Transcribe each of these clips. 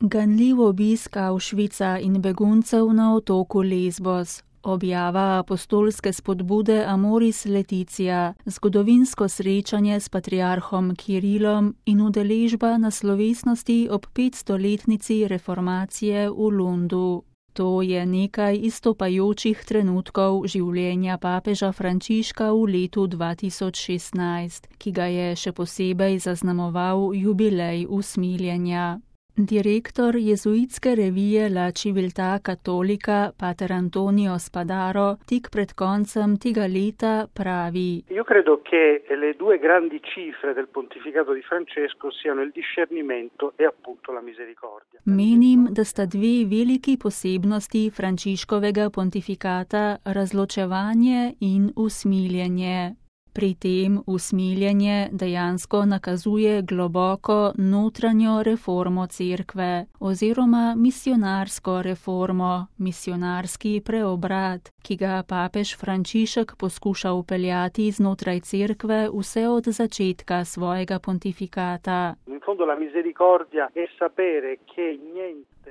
Ganljiv obisk Auschwitza in beguncev na otoku Lesbos, objava apostolske spodbude Amoris Laetitia, zgodovinsko srečanje s patriarhom Kirilom in udeležba na slovesnosti ob 500-letnici reformacije v Lundu. To je nekaj izstopajočih trenutkov življenja papeža Frančiška v letu 2016, ki ga je še posebej zaznamoval jubilej usmiljenja. Direktor jezuitske revije La Civiltà Cattolica, pater Antonio Spadaro, tik pred koncem tega leta pravi: Io credo che le due grandi cifre del pontificato di Francesco siano il discernimento e appunto la misericordia. Menim, da sta dve veliki posebnosti Frančiškovega pontifikata razločevanje in usmiljenje. Pri tem usmiljenje dejansko nakazuje globoko notranjo reformo cerkve oziroma misionarsko reformo, misionarski preobrat, ki ga papež Frančišek poskuša vpeljati znotraj cerkve vse od začetka svojega pontifikata.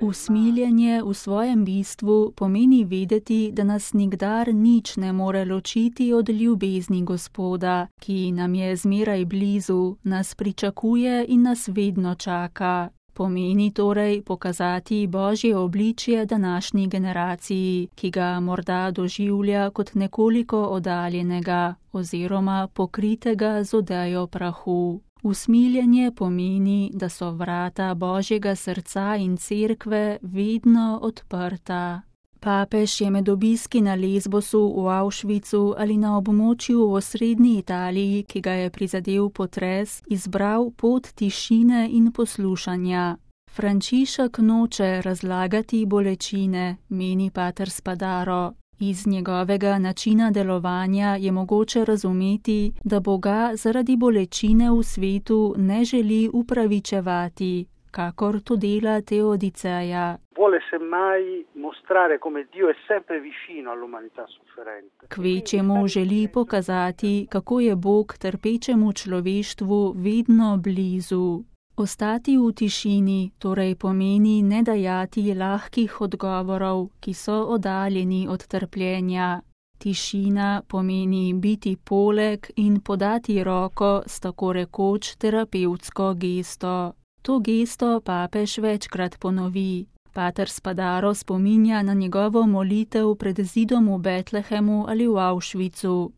Usmiljenje v svojem bistvu pomeni vedeti, da nas nikdar nič ne more ločiti od ljubezni Gospoda, ki nam je zmeraj blizu, nas pričakuje in nas vedno čaka. Pomeni torej pokazati Božje obličje današnji generaciji, ki ga morda doživlja kot nekoliko oddaljenega oziroma pokritega z odejo prahu. Usmiljenje pomeni, da so vrata Božjega srca in cerkve vedno odprta. Papež je med obiski na Lesbosu, v Auschwitzu ali na območju v osrednji Italiji, ki ga je prizadel potres, izbral pot tišine in poslušanja. Frančišek noče razlagati bolečine, meni pater Spadaro. Iz njegovega načina delovanja je mogoče razumeti, da Boga zaradi bolečine v svetu ne želi upravičevati, kakor to dela Teodiceja. Kvečjemu želi pokazati, kako je Bog trpečemu človeštvu vedno blizu. Ostati v tišini torej pomeni ne dajati lahkih odgovorov, ki so oddaljeni od trpljenja. Tišina pomeni biti poleg in podati roko s tako rekoč terapevtsko gesto. To gesto papež večkrat ponovi. Pater Spadaro spominja na njegovo molitev pred zidom v Betlehemu ali v Auschwitzu.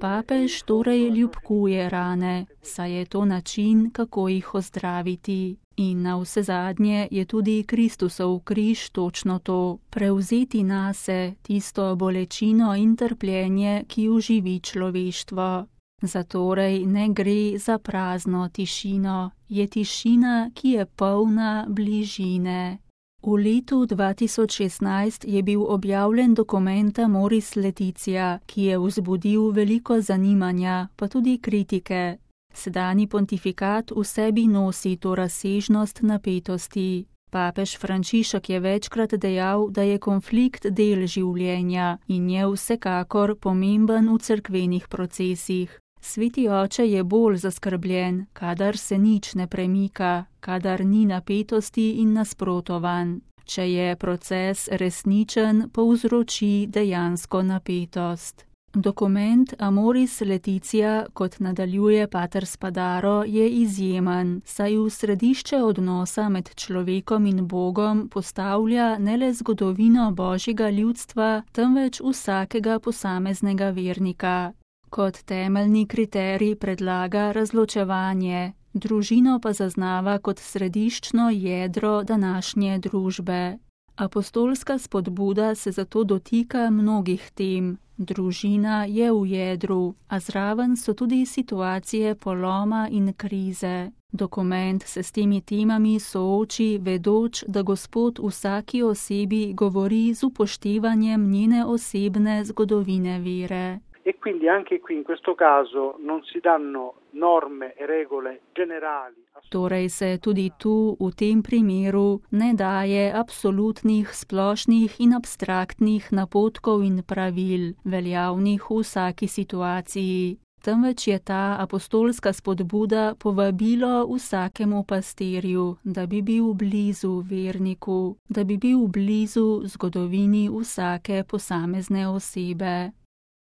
Papež torej ljubkuje rane, saj je to način, kako jih ozdraviti. In navsezadnje je tudi Kristusov križ točno to, prevzeti nase tisto bolečino in trpljenje, ki oživi človeštvo. Zatorej ne gre za prazno tišino, je tišina, ki je polna bližine. V letu 2016 je bil objavljen dokument Amoris Laetitia, ki je vzbudil veliko zanimanja, pa tudi kritike. Sedanji pontifikat v sebi nosi to razsežnost napetosti. Papež Frančišek je večkrat dejal, da je konflikt del življenja in je vsekakor pomemben v cerkvenih procesih. Sveti oče je bolj zaskrbljen, kadar se nič ne premika, kadar ni napetosti in nasprotovanj. Če je proces resničen, povzroči dejansko napetost. Dokument Amoris Laetitia, kot nadaljuje pater Spadaro, je izjemen, saj v središče odnosa med človekom in Bogom postavlja ne le zgodovino Božjega ljudstva, temveč vsakega posameznega vernika. Kot temeljni kriterij predlaga razločevanje, družino pa zaznava kot središčno jedro današnje družbe. Apostolska spodbuda se zato dotika mnogih tem. Družina je v jedru, a zraven so tudi situacije poloma in krize. Dokument se s temi temami sooči, vedoč, da Gospod vsaki osebi govori z upoštevanjem njene osebne zgodovine vere. E quindi anche qui in questo caso non si danno norme e regole generali. Torej se tudi tu, v tem primeru, ne daje absolutnih, splošnih in abstraktnih napotkov in pravil, veljavnih v vsaki situaciji. temveč je ta apostolska spodbuda povabilo vsakemu pastirju, da bi bil blizu verniku, da bi bil blizu zgodovini vsake posamezne osebe.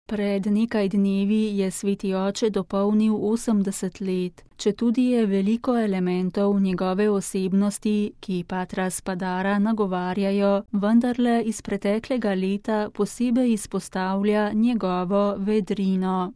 Pred nekaj dnevi je sveti oče dopolnil 80 let, četudi je veliko elementov njegove osebnosti, ki patra Spadara nagovarjajo, vendarle iz preteklega leta posebej izpostavlja njegovo vedrino.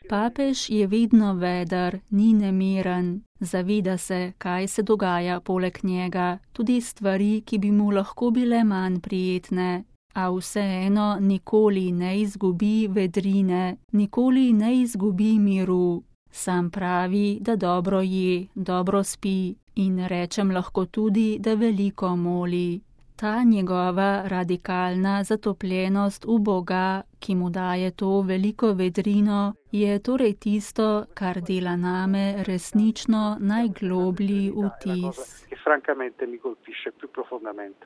Papež je vedno veder, ni nemiren. Zaveda se, kaj se dogaja poleg njega, tudi stvari, ki bi mu lahko bile manj prijetne. A vseeno nikoli ne izgubi vedrine, nikoli ne izgubi miru. Sam pravi, da dobro je, dobro spi in rečem lahko tudi, da veliko moli. Ta njegova radikalna zatopljenost v Boga, ki mu daje to veliko vedrino, je torej tisto, kar dela name resnično najgloblji vtis.